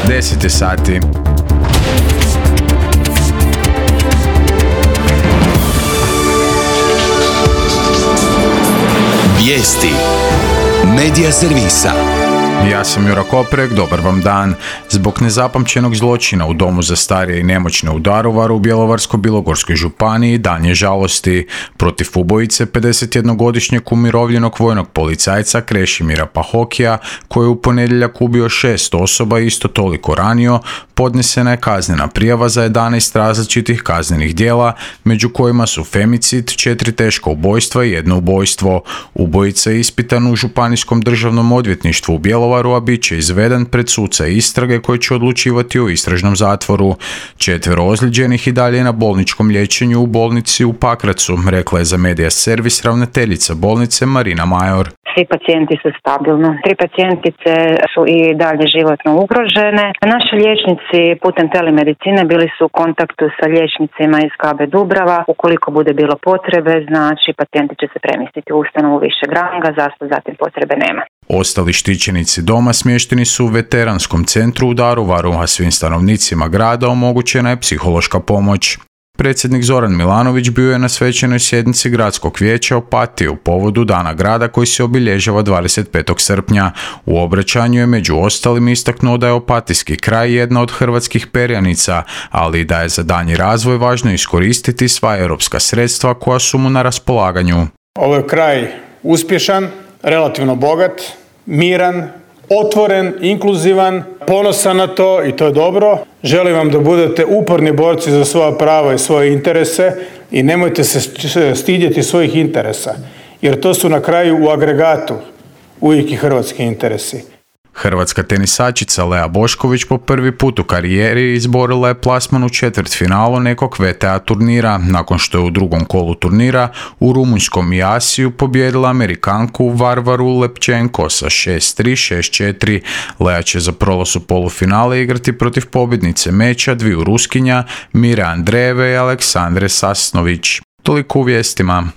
10 sati. Vijesti Medija servisa. Ja sam Jura Koprek, dobar vam dan. Zbog nezapamćenog zločina u domu za starije i nemoćne u Daruvaru u Bjelovarsko-bilogorskoj županiji dan je žalosti. Protiv ubojice 51-godišnjeg umirovljenog vojnog policajca Krešimira Pahokija, koji je u ponedjeljak ubio 6 osoba i isto toliko ranio, podnesena je kaznena prijava za 11 različitih kaznenih djela, među kojima su femicid, 4 teška ubojstva i 1 ubojstvo. Ubojica je ispitan u Županijskom državnom odvjetništvu u Bjelovaru, a bit će izveden pred suca istrage koji će odlučivati o istražnom zatvoru. 4 ozlijeđenih i dalje je na bolničkom liječenju u bolnici u Pakracu, rekla je za Medija servis ravnateljica bolnice Marina Major. Svi pacijenti su stabilno. 3 pacijentice su i dalje životno ugrožene. Naši liječnici putem telemedicine bili su u kontaktu sa liječnicima iz KB Dubrava. Ukoliko bude bilo potrebe, znači pacijenti će se premjestiti u ustanovu višeg ranga, zatim potrebe nema. Ostali štićenici doma smješteni su u veteranskom centru u Daruvaru, a svim stanovnicima grada omogućena je psihološka pomoć. Predsjednik Zoran Milanović bio je na svečanoj sjednici gradskog vijeća Opatije u povodu Dana grada koji se obilježava 25. srpnja. U obraćanju je među ostalim istaknuo da je opatijski kraj jedna od hrvatskih perjanica, ali i da je za daljnji razvoj važno iskoristiti sva europska sredstva koja su mu na raspolaganju. Ovo je kraj uspješan, relativno bogat, miran, otvoren, inkluzivan, ponosan na to i to je dobro. Želim vam da budete uporni borci za svoja prava i svoje interese i nemojte se stidjeti svojih interesa, jer to su na kraju u agregatu uvijek i hrvatski interesi. Hrvatska tenisačica Lea Bošković po prvi put u karijeri izborila je plasman u četvrtfinalu nekog VTA turnira, nakon što je u drugom kolu turnira u rumunjskom Jasiju pobijedila Amerikanku Varvaru Lepčenko sa 6-3, 6-4. Lea će za prolaz u polufinale igrati protiv pobjednice meča dviju Ruskinja, Mire Andreeve i Aleksandre Sasnović. Toliko u vijestima.